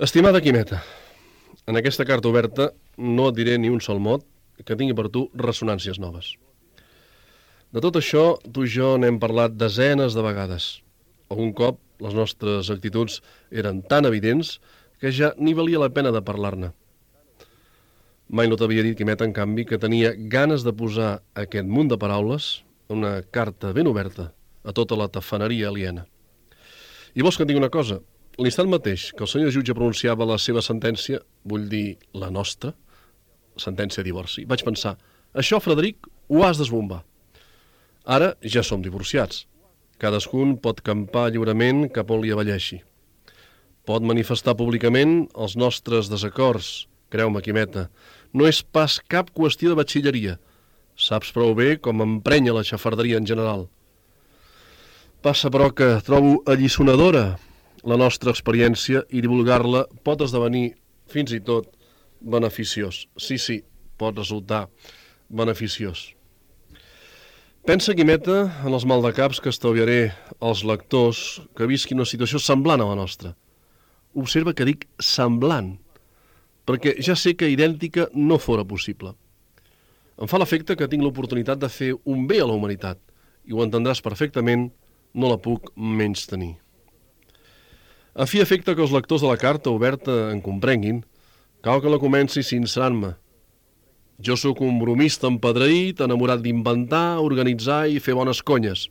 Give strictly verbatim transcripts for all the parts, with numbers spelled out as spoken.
Estimada Quimeta, en aquesta carta oberta no et diré ni un sol mot que tingui per tu ressonàncies noves. De tot això, tu i jo n'hem parlat desenes de vegades. Algun cop les nostres actituds eren tan evidents que ja ni valia la pena de parlar-ne. Mai no t'havia dit, Quimeta, en canvi, que tenia ganes de posar aquest munt de paraules, una carta ben oberta, a tota la tafaneria aliena. I vols que et digui una cosa? L'instant mateix que el senyor jutge pronunciava la seva sentència, vull dir la nostra, sentència de divorci, vaig pensar, això, Frederic, ho has d'esbombar. Ara ja som divorciats. Cadascun pot campar lliurement cap on li avelleixi. Pot manifestar públicament els nostres desacords. Creu-me, Quimeta, no és pas cap qüestió de batxilleria. Saps prou bé com emprenya la xafarderia en general. Passa, però, que trobo alliçonadora la nostra experiència i divulgar-la pot esdevenir, fins i tot, beneficiós. Sí, sí, pot resultar beneficiós. Pensa, Quimeta, en els maldecaps que estalviaré als lectors que visquin una situació semblant a la nostra. Observa que dic semblant, perquè ja sé que idèntica no fora possible. Em fa l'efecte que tinc l'oportunitat de fer un bé a la humanitat, i ho entendràs perfectament, no la puc menys tenir. A fi efecte que els lectors de la carta oberta en comprenguin, cal que la comenci sincerant-me. Jo sóc un bromista empedreït, enamorat d'inventar, organitzar i fer bones conyes.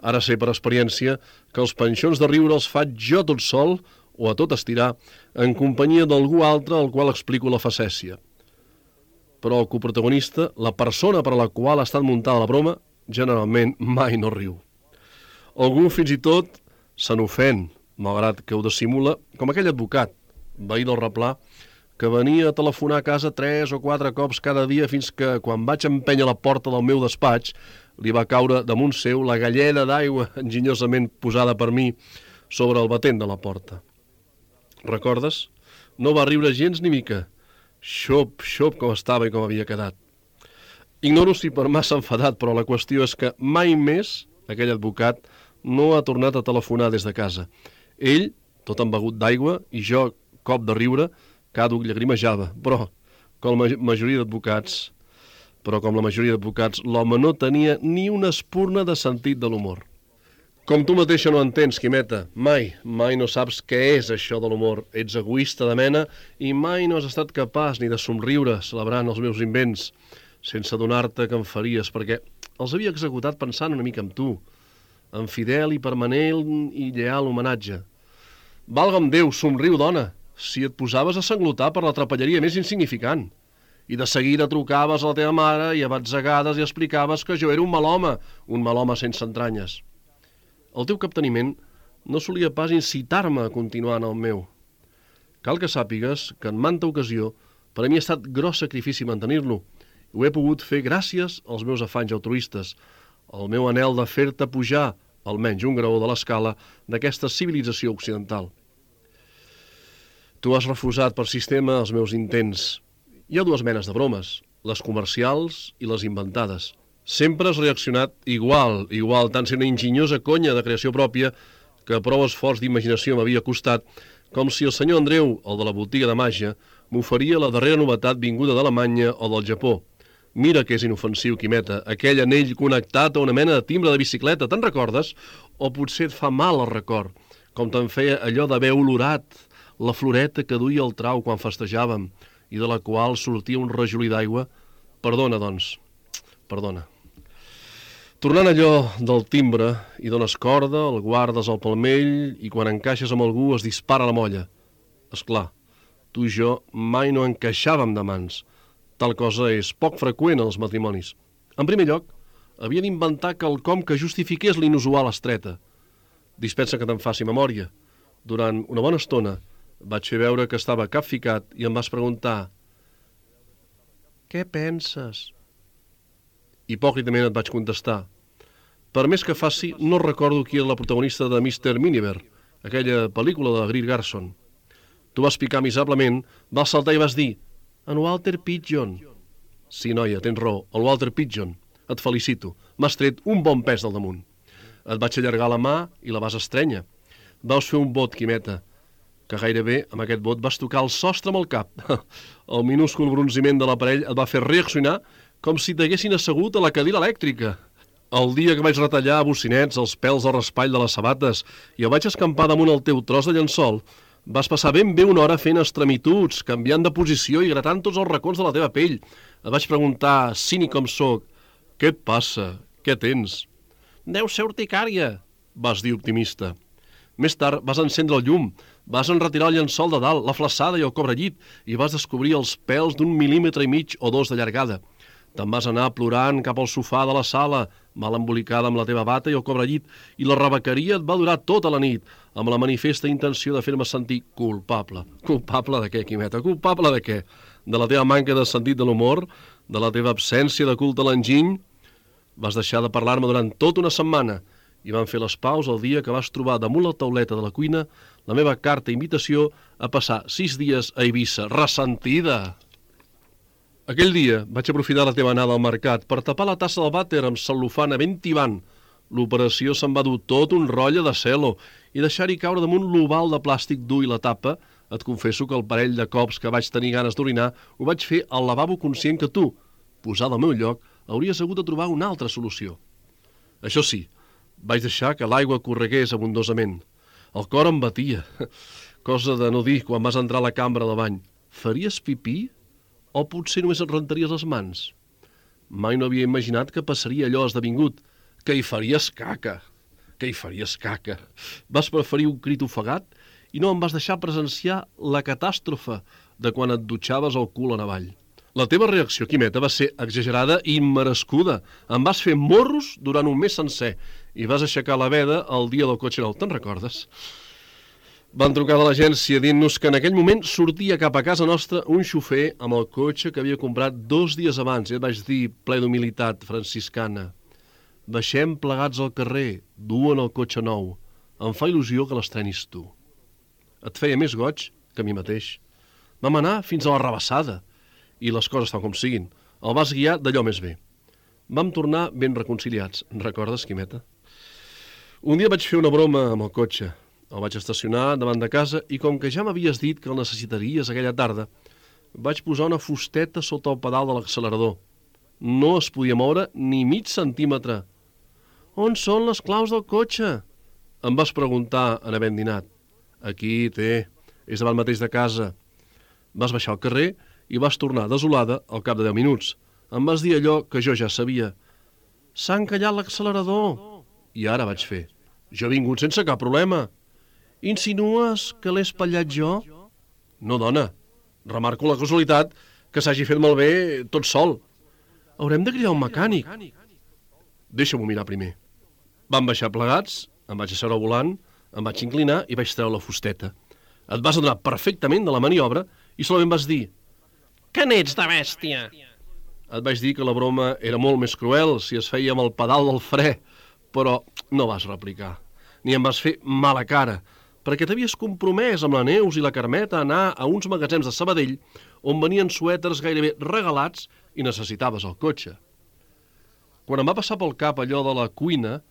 Ara sé per experiència que els panxons de riure els faig jo tot sol, o a tot estirar, en companyia d'algú altre al qual explico la facècia. Però el coprotagonista, la persona per a la qual ha estat muntada la broma, generalment mai no riu. Algú fins i tot se n'ofèn, malgrat que ho dissimula, com aquell advocat, veí del replà, que venia a telefonar a casa tres o quatre cops cada dia fins que, quan vaig empènyer la porta del meu despatx, li va caure damunt seu la galleda d'aigua enginyosament posada per mi sobre el batent de la porta. Recordes? No va riure gens ni mica. Xop, xop com estava i com havia quedat. Ignoro si per massa enfadat, però la qüestió és que mai més aquell advocat no ha tornat a telefonar des de casa. Ell, tot embegut d'aigua, i jo, cop de riure, càduc llagrimejava, però, com la majoria d'advocats, però com la majoria d'advocats, l'home no tenia ni una espurna de sentit de l'humor. Com tu mateixa no entens, Quimeta, mai, mai no saps què és això de l'humor. Ets egoista de mena i mai no has estat capaç ni de somriure celebrant els meus invents, sense adonar-te que em faries, perquè els havia executat pensant una mica en tu, en fidel i permanent i lleal homenatge. Valga'm Déu, somriu, dona, si et posaves a sanglotar per la trapelleria més insignificant. I de seguida trucaves a la teva mare i a batzegades i explicaves que jo era un mal home, un mal home sense entranyes. El teu capteniment no solia pas incitar-me a continuar en el meu. Cal que sàpigues que en manta ocasió per a mi ha estat gros sacrifici mantenir-lo. Ho he pogut fer gràcies als meus afanys altruistes, al meu anhel de fer-te pujar, almenys un graó de l'escala, d'aquesta civilització occidental. Tu has refusat per sistema els meus intents. Hi ha dues menes de bromes, les comercials i les inventades. Sempre has reaccionat igual, igual, tant ser una enginyosa conya de creació pròpia que prou esforç d'imaginació m'havia costat, com si el senyor Andreu, el de la botiga de màgia, m'oferia la darrera novetat vinguda d'Alemanya o del Japó. Mira que és inofensiu, Quimeta, aquell anell connectat a una mena de timbre de bicicleta, te'n recordes? O potser et fa mal el record, com te'n feia allò d'haver olorat la floreta que duia el trau quan festejàvem i de la qual sortia un rajolí d'aigua? Perdona, doncs, perdona. Tornant allò del timbre, hi dones corda, el guardes al palmell i quan encaixes amb algú es dispara la molla. Esclar, tu i jo mai no encaixàvem de mans. Tal cosa és poc freqüent en els matrimonis. En primer lloc, havia d'inventar quelcom que justifiqués l'inusual estreta. Dispensa que te'n faci memòria. Durant una bona estona vaig fer veure que estava capficat i em vas preguntar «Què penses?» Hipòcritament et vaig contestar «Per més que faci, no recordo qui era la protagonista de mister Miniver, aquella pel·lícula de Greer Garson». Tu vas picar miserablement, vas saltar i vas dir «En Walter Pidgeon». Sí, noia, tens raó, el Walter Pidgeon. Et felicito, m'has tret un bon pes del damunt. Et vaig allargar la mà i la vas estrènyer. Vaus fer un vot, Quimeta. que gairebé amb aquest bot vas tocar el sostre amb el cap. El minúscul bronziment de l'aparell et va fer reaccionar com si t'haguessin assegut a la cadira elèctrica. El dia que vaig retallar a bocinets els pèls al raspall de les sabates i el vaig escampar damunt el teu tros de llençol, vas passar ben bé una hora fent extremituds, canviant de posició i gratant tots els racons de la teva pell. Et vaig preguntar, cínic com soc, què et passa? Què tens? Deu ser urticària, vas dir optimista. Més tard vas encendre el llum, vas enretirar el llençol de dalt, la flaçada i el cobrellit i vas descobrir els pèls d'un mil·límetre i mig o dos de llargada. Te'n vas anar plorant cap al sofà de la sala, mal embolicada amb la teva bata i el cobrellit, i la rebequeria et va durar tota la nit, amb la manifesta intenció de fer-me sentir culpable. Culpable de què, Quimeta? Culpable de què? De la teva manca de sentit de l'humor? De la teva absència de culte a l'enginy? Vas deixar de parlar-me durant tota una setmana i van fer les paus el dia que vas trobar damunt la tauleta de la cuina la meva carta invitació a passar sis dies a Eivissa, ressentida. Aquell dia vaig aprofitar la teva anada al mercat per tapar la tassa del vàter amb cel·lofana ben tibant. L'operació se'n va dur tot un rotlle de celo i deixar-hi caure damunt l'oval de plàstic dur i la tapa. Et confesso que el parell de cops que vaig tenir ganes d'orinar ho vaig fer al lavabo conscient que tu, posada al meu lloc, hauries hagut de trobar una altra solució. Això sí, vaig deixar que l'aigua corregués abundosament. El cor em batia, cosa de no dir quan vas entrar a la cambra de bany. Faries pipí? O potser només et rentaries les mans? Mai no havia imaginat que passaria allò esdevingut, que hi faries caca, que hi faries caca. Vas preferir un crit ofegat i no em vas deixar presenciar la catàstrofe de quan et dutxaves el cul en avall. La teva reacció, Quimeta, va ser exagerada i immerescuda. Em vas fer morros durant un mes sencer i vas aixecar la veda el dia del cotxe nou. Te'n recordes? Van trucar de l'agència dient-nos que en aquell moment sortia cap a casa nostra un xofer amb el cotxe que havia comprat dos dies abans. I et vaig dir, ple d'humilitat franciscana, baixem plegats al carrer, duen el cotxe nou. Em fa il·lusió que l'estrenis tu. Et feia més goig que a mi mateix. Vam anar fins a la Rabassada i les coses tal com siguin. El vas guiar d'allò més bé. Vam tornar ben reconciliats. Recordes, Quimeta? Un dia vaig fer una broma amb el cotxe. El vaig estacionar davant de casa i com que ja m'havies dit que el necessitaries aquella tarda, vaig posar una fusteta sota el pedal de l'accelerador. No es podia moure ni mig centímetre. On són les claus del cotxe? Em vas preguntar en havent dinat. Aquí, té, és davant mateix de casa. Vas baixar al carrer i vas tornar desolada al cap de deu minuts. Em vas dir allò que jo ja sabia. S'ha encallat l'accelerador. I ara vaig fer. Jo he vingut sense cap problema. Insinues que l'he espatllat jo? No, dona. Remarco la casualitat que s'hagi fet malbé tot sol. Haurem de cridar un mecànic. Deixa-m'ho mirar primer. Vam baixar plegats, em vaig asseure al volant, em vaig inclinar i vaig treure la fusteta. Et vas adonar perfectament de la maniobra i solament vas dir: que n'ets de bèstia! Et vaig dir que la broma era molt més cruel si es feia amb el pedal del fre, però no vas replicar. Ni em vas fer mala cara, perquè t'havies compromès amb la Neus i la Carmeta a anar a uns magatzems de Sabadell on venien suèters gairebé regalats i necessitaves el cotxe. Quan em va passar pel cap allò de la cuina,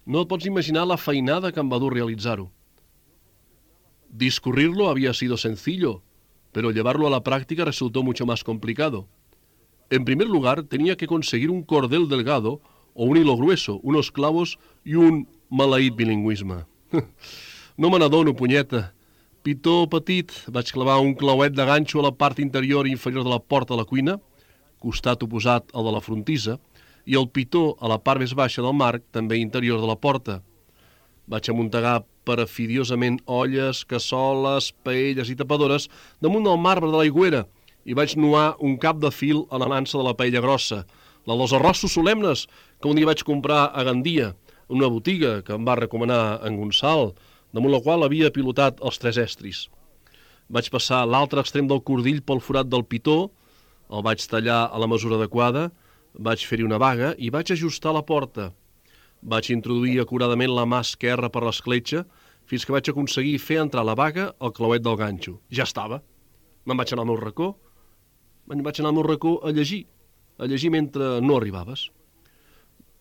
no et pots imaginar la feinada que em va dur realitzar-ho. Discurrirlo había sido sencillo, pero llevarlo a la práctica resultó mucho más complicado. En primer lugar, tenía que conseguir un cordel delgado o un hilo grueso, unos clavos y un maleït bilingüisme. No me n'adono, punyeta. Pitó petit, vaig clavar un clauet de ganxo a la part interior i inferior de la porta de la cuina, costat oposat al de la frontissa, i el pitó a la part més baixa del marc, també interior de la porta. Vaig amuntegar parafidiosament olles, cassoles, paelles i tapadores damunt del marbre de l'aigüera i vaig nuar un cap de fil a la nansa de la paella grossa, la dels arrossos solemnes que un dia vaig comprar a Gandia, una botiga que em va recomanar en Gonçal, damunt la qual havia pilotat els tres estris. Vaig passar l'altre extrem del cordill pel forat del pitó, el vaig tallar a la mesura adequada, vaig fer-hi una vaga i vaig ajustar la porta. Vaig introduir acuradament la mà esquerra per l'escletxa fins que vaig aconseguir fer entrar la vaga al clauet del ganxo. Ja estava. Me'n vaig anar al meu racó. Me'n vaig anar al meu racó a llegir, a llegir mentre no arribaves.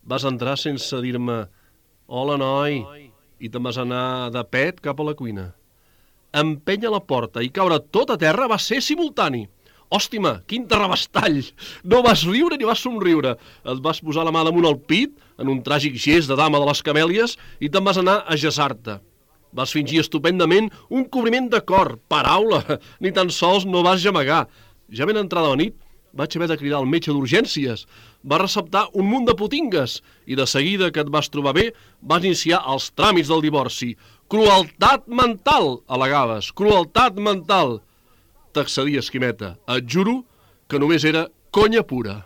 Vas entrar sense dir-me «Hola, noi», i te'n vas anar de pet cap a la cuina. empènyer la porta i caure tot a terra va ser simultani. Hòstima, quin terrabastall! No vas riure ni vas somriure. Et vas posar la mà damunt el pit, en un tràgic gest de dama de les camèlies, i te'n vas anar a gesar-te. Vas fingir estupendament un cobriment de cor. Paraula! Ni tan sols no vas gemegar. Ja ben entrada la nit, vaig haver de cridar al metge d'urgències. Va receptar un munt de potingues i de seguida que et vas trobar bé, vas iniciar els tràmits del divorci. Crueltat mental, al·legaves. Crueltat mental. T'accedia, Esquimeta. Et juro que només era conya pura.